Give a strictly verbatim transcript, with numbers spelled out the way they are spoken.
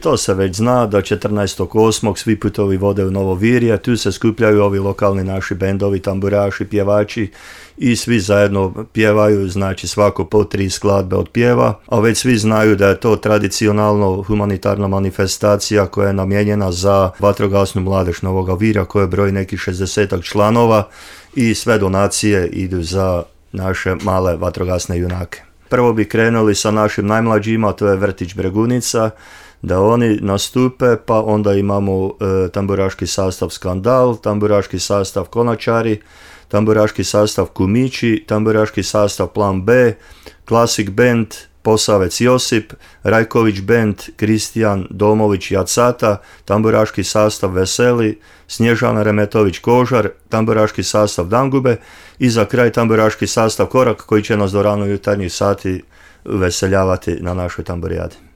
To se već zna da četrnaestog osmog svi putovi vode u Novo Virje, tu se skupljaju ovi lokalni naši bendovi, tamburaši, pjevači i svi zajedno pjevaju, znači svako po tri skladbe od pjeva, a već svi znaju da je to tradicionalno humanitarna manifestacija koja je namijenjena za vatrogasnu mladež Novoga Virja koja broji nekih šezdesetak članova i sve donacije idu za naše male vatrogasne junake. Prvo bi krenuli sa našim najmlađima, to je vrtić Bregunica, da oni nastupe, pa onda imamo e, tamburaški sastav Skandal, tamburaški sastav Konačari, tamburaški sastav Kumići, tamburaški sastav Plan B, Classic Band, Posavec Josip, Rajković Band, Kristijan Domović Jacata, tamburaški sastav Veseli, Snježana Remetović Kožar, tamburaški sastav Dangube i za kraj tamburaški sastav Korak koji će nas do rano jutarnjih sati veseljavati na našoj tamburijadi.